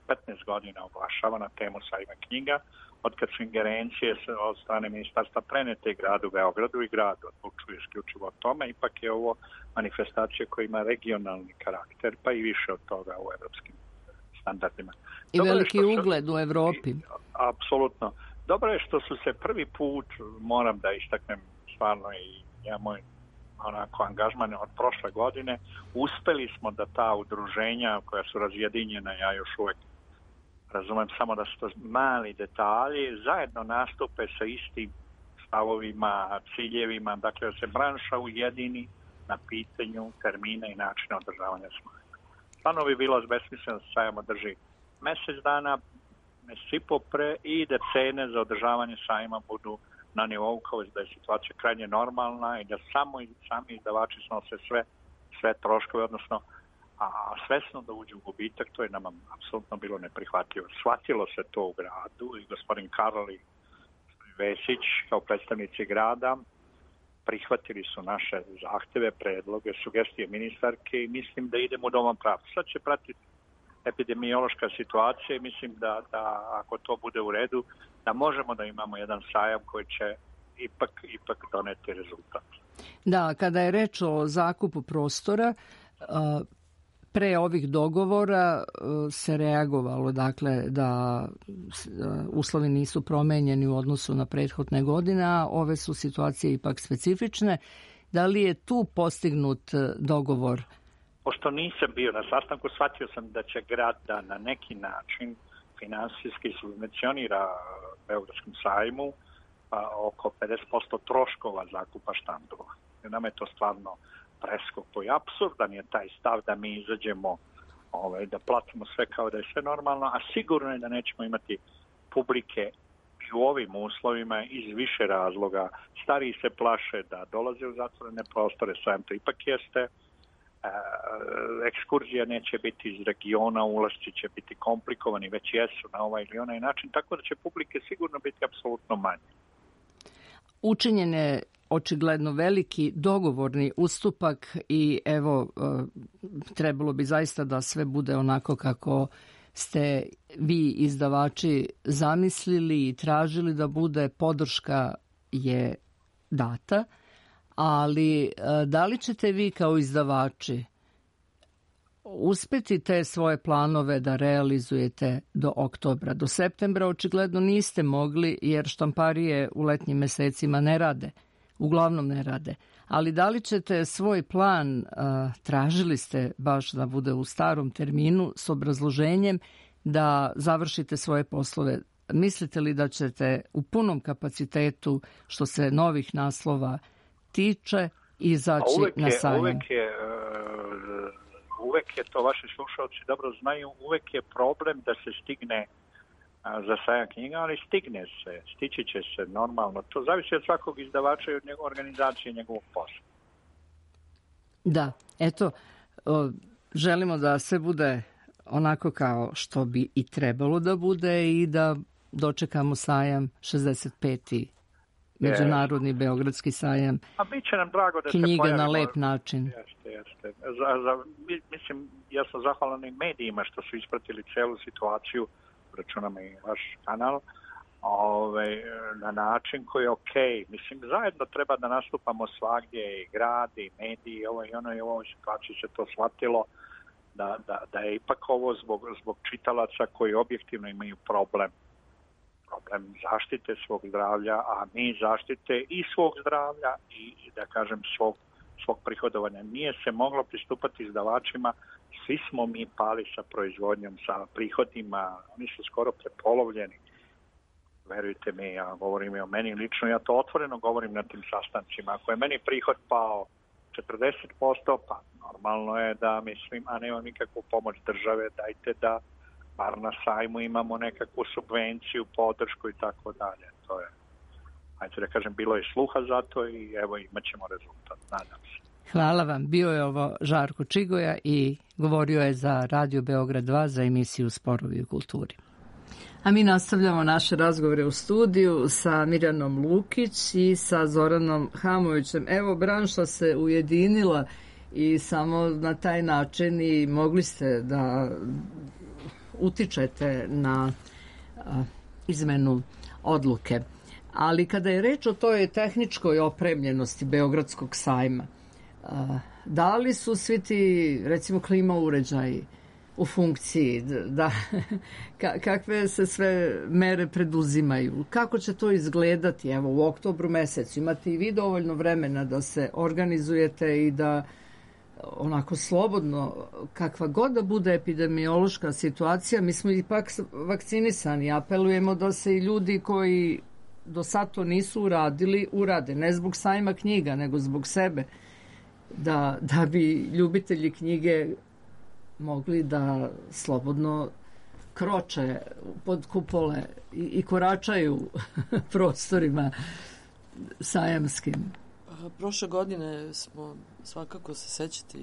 petnaest godina oglašava na temu sajma knjiga, od kad su ingerencije od strane ministarstva prenete gradu Beogradu, i grad odlučuje isključivo o tome. Ipak je ovo manifestacija koja ima regionalni karakter, pa i više od toga u evropskim standardima. I dobro veliki su, ugled u Evropi. Apsolutno. Dobro je što su se prvi put, moram da istaknem stvarno i ja moj onako angažman od prošle godine, uspeli smo da ta udruženja koja su razjedinjena, ja još uvek razumem samo da su to mali detalji, zajedno nastupe sa istim stavovima, ciljevima, dakle da se branša ujedini na pitanju termina i načina održavanja sajma. Stvarno bi bilo besmisleno da se sajam održi mesec dana, mesec i po pre, i da cene za održavanje sajma budu na nivou kao da je situacija krajnje normalna i da samo sami izdavači snose sve, sve troškove, odnosno a svesno da uđe u gubitak, to je nama apsolutno bilo neprihvatljivo. Shvatilo se to u gradu i gospodin Karol i gospodin Vesić kao predstavnici grada prihvatili su naše zahteve, predloge, sugestije ministarke i mislim da idemo u dovom pravcu. Sad će pratiti epidemiološka situacija i mislim da, da ako to bude u redu, da možemo da imamo jedan sajam koji će ipak, ipak doneti rezultat. Da, kada je reč o zakupu prostora, pre ovih dogovora se reagovalo, dakle, da uslovi nisu promenjeni u odnosu na prethodne godine, a ove su situacije ipak specifične. Da li je tu postignut dogovor? Pošto nisam bio na sastanku, shvatio sam da će grad da na neki način finansijski subvencionira Beogradskom sajmu pa oko pedeset posto troškova zakupa štandova. Nama je to stvarno preskopo i apsurdan je taj stav da mi izađemo, ovaj, da platimo sve kao da je sve normalno, a sigurno je da nećemo imati publike i u ovim uslovima iz više razloga. Stariji se plaše da dolaze u zatvorene prostore, sajam to ipak jeste. E, ekskurzija neće biti iz regiona, ulasci će biti komplikovani, već jesu na ovaj ili onaj način, tako da će publike sigurno biti apsolutno manje. Učinjen je očigledno veliki dogovorni ustupak i evo, trebalo bi zaista da sve bude onako kako ste vi izdavači zamislili i tražili da bude. Podrška je data, ali da li ćete vi kao izdavači uspeti te svoje planove da realizujete do oktobra? Do septembra očigledno niste mogli jer štamparije u letnjim mesecima ne rade. Uglavnom ne rade. Ali da li ćete svoj plan, a, tražili ste baš da bude u starom terminu s obrazloženjem da završite svoje poslove? Mislite li da ćete u punom kapacitetu što se novih naslova tiče izaći uvek je, na sajam? Uvek je, uvek je to, vaši slušalci dobro znaju, uvek je problem da se stigne za sajam knjiga, ali stigne se, stići će se normalno. To zavisi od svakog izdavača i od njegove organizacije i njegovog posla. Da, eto, o, želimo da sve bude onako kao što bi i trebalo da bude i da dočekamo sajam šezdeset peti Međunarodni Beogradski sajam. A bit će nam drago da knjiga se pojavimo. Na lep način. Jeste, jeste. Za, za, mislim, ja sam zahvalan i medijima što su ispratili celu situaciju, računam i vaš kanal, ove, na način koji je okej. Mislim, zajedno treba da nastupamo svagdje, i grad, i mediji, ovo i ono, i u ovoj situaciji se to shvatilo, da, da, da je ipak ovo zbog, zbog čitalaca koji objektivno imaju problem. Problem zaštite svog zdravlja, a mi zaštite i svog zdravlja i, da kažem, svog, svog prihodovanja. Nije se moglo pristupati izdavačima, svi smo mi pali sa proizvodnjom, sa prihodima, oni su skoro prepolovljeni. Verujte mi, ja govorim i o meni lično, ja to otvoreno govorim na tim sastancima. Ako je meni prihod pao četrdeset posto, pa normalno je da mislim, a nema nikakvu pomoć države, dajte da bar na sajmu imamo nekakvu subvenciju, podršku i tako dalje. To je, ajde da kažem, bilo je sluha za to i evo imat ćemo rezultat, nadam se. Hvala vam. Bio je ovo Žarko Čigoja i govorio je za Radio Beograd dva za emisiju Sporovi u kulturi. A mi nastavljamo naše razgovore u studiju sa Mirjanom Lukić i sa Zoranom Hamovićem. Evo, branša se ujedinila i samo na taj način i mogli ste da utičete na a, izmenu odluke. Ali kada je reč o toj tehničkoj opremljenosti Beogradskog sajma, a, da li su svi ti, recimo, klima uređaji u funkciji, da, ka, kakve se sve mere preduzimaju, kako će to izgledati? Evo, u oktobru mesecu imate i vi dovoljno vremena da se organizujete i da onako slobodno, kakva god da bude epidemiološka situacija, mi smo ipak vakcinisani, apelujemo da se i ljudi koji do sad to nisu uradili, urade, ne zbog sajma knjiga, nego zbog sebe, da, da bi ljubitelji knjige mogli da slobodno kroče pod kupole i, i koračaju prostorima sajamskim. Prošle godine smo, svakako se sećate,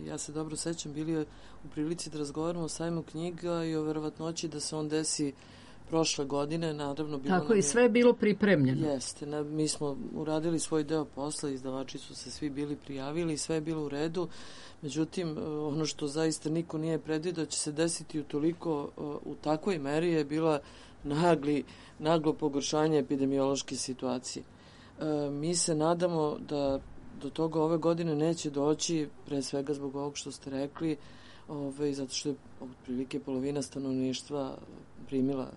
ja se dobro sećam, bili u prilici da razgovaramo o sajmu knjiga i o verovatnoći da se on desi prošle godine, naravno bilo tako i je, sve je bilo pripremljeno. Jeste, na, mi smo uradili svoj deo posla, izdavači su se svi bili prijavili, sve je bilo u redu, međutim ono što zaista niko nije predvidio će se desiti u toliko, u takvoj meri je bila nagli, naglo pogoršanje epidemiološke situacije. E, mi se nadamo da do toga ove godine neće doći, pre svega zbog ovog što ste rekli, Ove, zato što je otprilike polovina stanovništva primila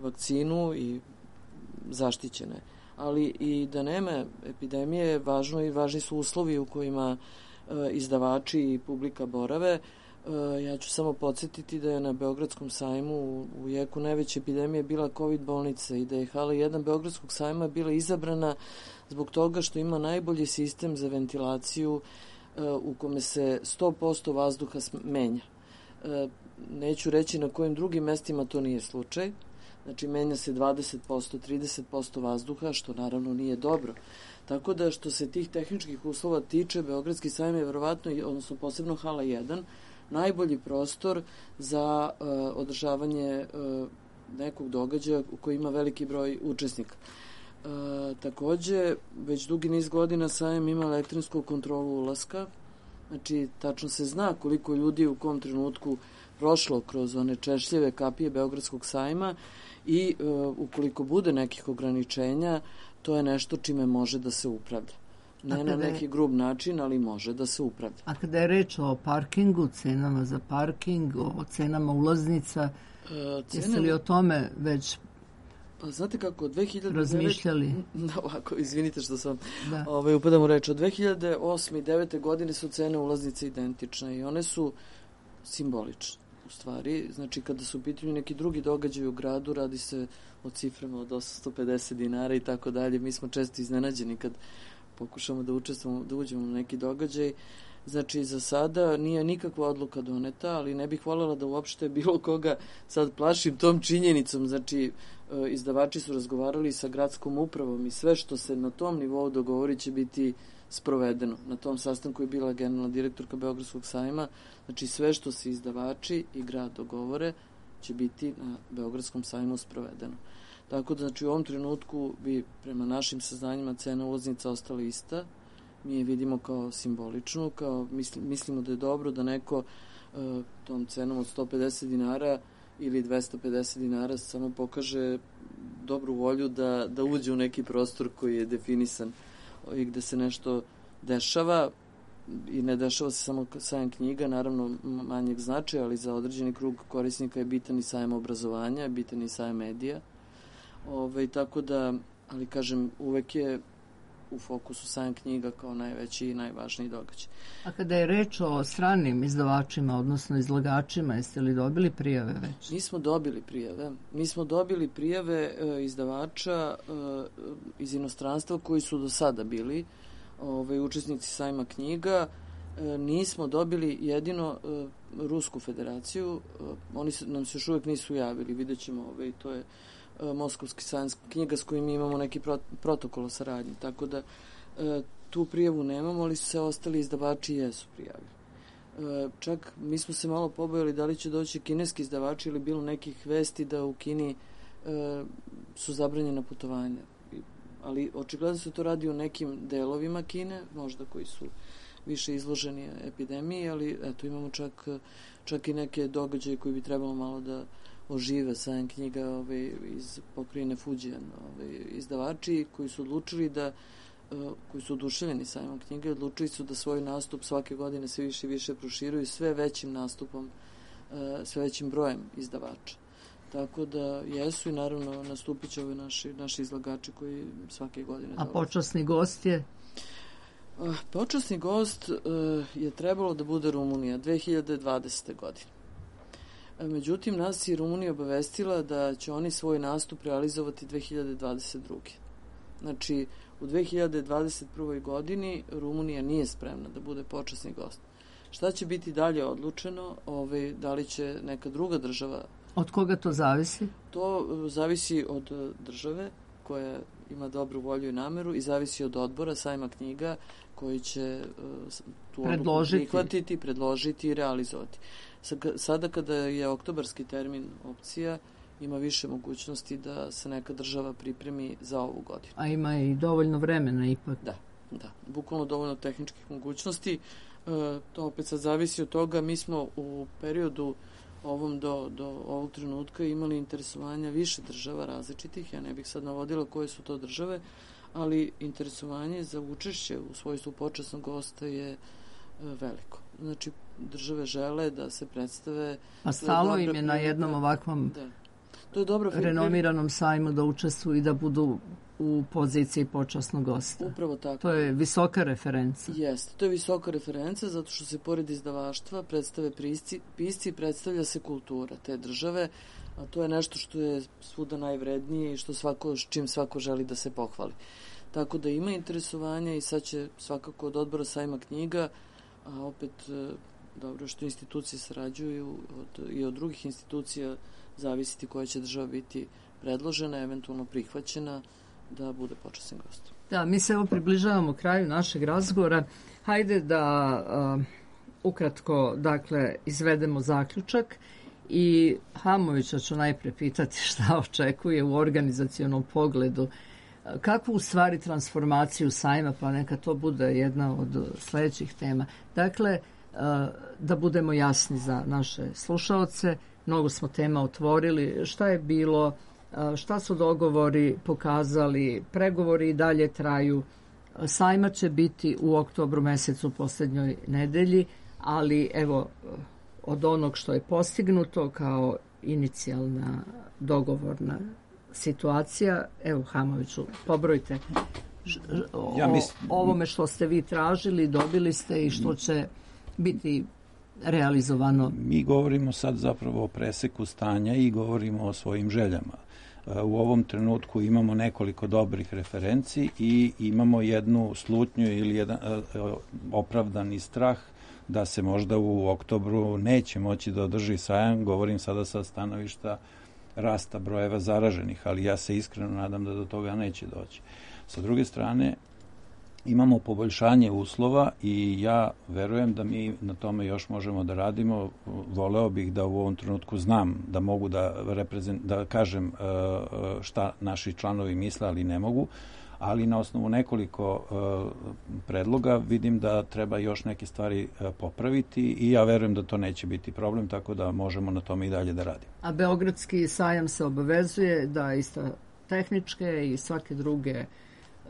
vakcinu i zaštićene. Ali i da nema epidemije, važno i važni su uslovi u kojima e, izdavači i publika borave. E, ja ću samo podsjetiti da je na Beogradskom sajmu u, u jeku najveće epidemije bila COVID bolnica i da je hala jedan Beogradskog sajma bila izabrana zbog toga što ima najbolji sistem za ventilaciju e, u kome se sto posto vazduha menja. E, neću reći na kojim drugim mestima to nije slučaj. Znači, menja se dvadeset posto, trideset posto vazduha, što naravno nije dobro. Tako da, što se tih tehničkih uslova tiče, Beogradski sajam je verovatno, odnosno posebno hala jedan, najbolji prostor za uh, održavanje uh, nekog događaja u koji ima veliki broj učesnika. Uh, takođe, već dugi niz godina sajam ima elektronsku kontrolu ulaska, znači, tačno se zna koliko ljudi u kom trenutku prošlo kroz one češljive kapije Beogradskog sajma i e, ukoliko bude nekih ograničenja, to je nešto čime može da se upravlja. Ne na neki grub način, ali može da se upravlja. A kada je reč o parkingu, cenama za parking, o cenama ulaznica, e, cene... jeste li o tome već pa znate kako, od dve hiljade devete... razmišljali? Da, ovako, izvinite što sam da. ovaj, upadam u reč. Od dve hiljade osme i devete godine su cene ulaznice identične i one su simbolične. U stvari, znači kada su u pitanju neki drugi događaj u gradu, radi se o ciframa od osamsto pedeset dinara i tako dalje. Mi smo često iznenađeni kad pokušamo da učestvujemo, da uđemo u neki događaj. Znači, za sada nije nikakva odluka doneta, ali ne bih voljela da uopšte bilo koga sad plašim tom činjenicom. Znači, izdavači su razgovarali sa gradskom upravom i sve što se na tom nivou dogovori će biti sprovedeno. Na tom sastanku je bila generalna direktorka Beogradskog sajma, znači sve što se izdavači i grad dogovore će biti na Beogradskom sajmu sprovedeno. Tako da, znači, u ovom trenutku bi prema našim saznanjima cena ulaznica ostala ista. Mi je vidimo kao simboličnu, kao misli, mislimo da je dobro da neko uh, tom cenom od sto pedeset dinara ili dvesta pedeset dinara samo pokaže dobru volju da, da uđe u neki prostor koji je definisan i gde se nešto dešava i ne dešava se samo sajam knjiga, naravno manjeg značaja, ali za određeni krug korisnika je bitan i sajam obrazovanja, je bitan i sajam medija. Ove, tako da, ali kažem, uvek je u fokusu sajam knjiga kao najveći i najvažniji događaj. A kada je reč o stranim izdavačima, odnosno izlagačima, jeste li dobili prijave već? Mi smo dobili prijave. Mi smo dobili prijave e, izdavača e, iz inostranstva koji su do sada bili ove, učesnici sajma knjiga. E, nismo dobili jedino e, Rusku federaciju. E, oni se, nam se još uvek nisu javili. Vidjet ćemo, ove, to je Moskovski sajam knjiga s kojim mi imamo neki protokol o saradnji, tako da e, tu prijavu nemamo, ali su se ostali izdavači jesu prijavili. E, čak mi smo se malo pobojali da li će doći kineski izdavači ili bilo nekih vesti da u Kini e, su zabranjena putovanja. Ali očigledno se to radi u nekim delovima Kine, možda koji su više izloženi epidemiji, ali eto imamo čak, čak i neke događaje koji bi trebalo malo da ožive sajam knjiga ove, iz pokrajine Fujian, ove, izdavači koji su odlučili da, koji su oduševljeni sajmom knjiga, odlučili su da svoj nastup svake godine sve više i više proširuju sve većim nastupom, sve većim brojem izdavača. Tako da jesu i naravno nastupit će ove naši, naši izlagači koji svake godine A počasni gost je? Počasni gost je trebalo da bude Rumunija dve hiljade dvadesete. godine. Međutim, nas je Rumunija obavestila da će oni svoj nastup realizovati dve hiljade dvadeset druge. Znači, u dve hiljade dvadeset prvoj. godini Rumunija nije spremna da bude počasni gost. Šta će biti dalje odlučeno? Ove, da li će neka druga država... Od koga to zavisi? To zavisi od države koja ima dobru volju i nameru i zavisi od odbora sajma knjiga koji će tu odluku prihvatiti, predložiti i realizovati. Sada kada je oktobarski termin opcija, ima više mogućnosti da se neka država pripremi za ovu godinu. A ima i dovoljno vremena ipak. Da, da. Bukvalno dovoljno tehničkih mogućnosti. E, to opet sad zavisi od toga. Mi smo u periodu ovom do, do ovog trenutka imali interesovanja više država različitih. Ja ne bih sad navodila koje su to države, ali interesovanje za učešće u svojstvu počasnog gosta je e, veliko. Znači, države žele da se predstave. A stalo im je na jednom ovakvom da. To je dobro renomiranom sajmu da učestvuju i da budu u poziciji počasnog gosta. Upravo tako. To je visoka referenca. Jeste, to je visoka referenca zato što se pored izdavaštva predstave pisci, pisci predstavlja se kultura te države, a to je nešto što je svuda najvrednije i što svako, čim svako želi da se pohvali. Tako da ima interesovanja i sad će svakako od odbora sajma knjiga, a opet dobro što institucije sarađuju od, i od drugih institucija zavisiti koja će država biti predložena, eventualno prihvaćena da bude počasni gost. Da, mi se evo približavamo kraju našeg razgovora. Hajde da uh, ukratko, dakle, izvedemo zaključak i Hamovića ću najpre pitati šta očekuje u organizacionom pogledu. Kakvu u stvari transformaciju sajma, pa neka to bude jedna od sledećih tema. Dakle, uh, da budemo jasni za naše slušaoce, mnogo smo tema otvorili, šta je bilo, šta su dogovori pokazali, pregovori i dalje traju. Sajma će biti u oktobru mesecu u poslednjoj nedelji, ali evo od onog što je postignuto kao inicijalna dogovorna situacija, evo Hamoviću, pobrojte o, ja mislim... ovome što ste vi tražili, dobili ste i što će biti realizovano. Mi govorimo sad zapravo o preseku stanja i govorimo o svojim željama. U ovom trenutku imamo nekoliko dobrih referenci i imamo jednu slutnju ili jedan opravdani strah da se možda u oktobru neće moći da održi sajam. Govorim sada sa stanovišta rasta brojeva zaraženih, ali ja se iskreno nadam da do toga neće doći. Sa druge strane, imamo poboljšanje uslova i ja verujem da mi na tome još možemo da radimo. Voleo bih da u ovom trenutku znam da mogu da, reprezent, da kažem šta naši članovi misle, ali ne mogu. Ali na osnovu nekoliko predloga vidim da treba još neke stvari popraviti i ja verujem da to neće biti problem, tako da možemo na tome i dalje da radimo. A Beogradski sajam se obavezuje da ista tehničke i svake druge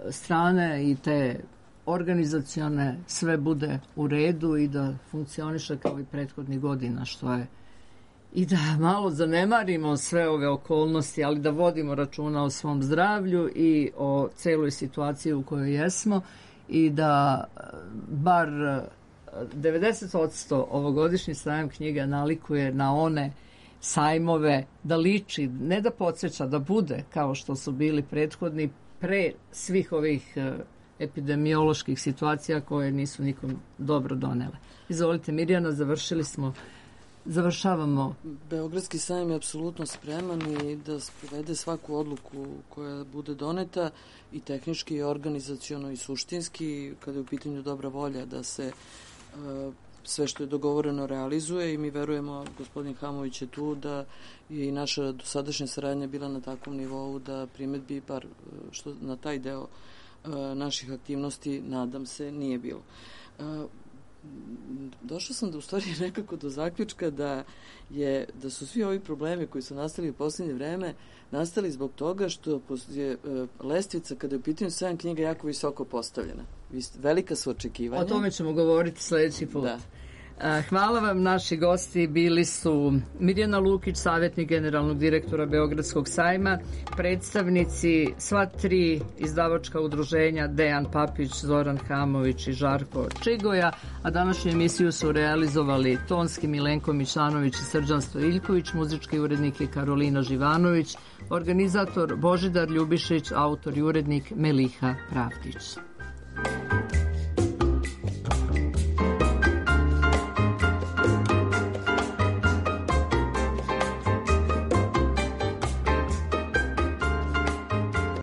strane i te organizacione sve bude u redu i da funkcioniše kao i prethodnih godina, što je i da malo zanemarimo sve ove okolnosti, ali da vodimo računa o svom zdravlju i o celoj situaciji u kojoj jesmo i da bar devedeset posto ovogodišnji sajam knjiga nalikuje na one sajmove, da liči, ne da podsjeća, da bude kao što su bili prethodni pre svih ovih epidemioloških situacija koje nisu nikom dobro donele. Izvolite Mirjana, završili smo, završavamo. Beogradski sajam je apsolutno spreman i da sprovede svaku odluku koja bude doneta i tehnički i organizaciono i suštinski, kada je u pitanju dobra volja da se uh, sve što je dogovoreno realizuje i mi verujemo, gospodin Hamović je tu, da je i naša dosadašnja saradnja bila na takvom nivou da primetbi bar što na taj deo uh, naših aktivnosti, nadam se, nije bilo. Uh, došla sam da u stvari nekako do zaključka da je da su svi ovi problemi koji su nastali u poslednje vreme nastali zbog toga što je uh, lestvica kada je u pitanju sajam knjiga jako visoko postavljena. Velika su očekivanja. O tome ćemo govoriti sledeći put. Da. Hvala vam, naši gosti bili su Mirjana Lukić, savjetnik generalnog direktora Beogradskog sajma, predstavnici sva tri izdavačka udruženja Dejan Papić, Zoran Hamović i Žarko Čigoja, a današnju emisiju su realizovali tonski Milenko Mišanović i Srđan Stojiljković, muzički urednik je Karolina Živanović, organizator Božidar Ljubišić, autor i urednik Meliha Pravdić.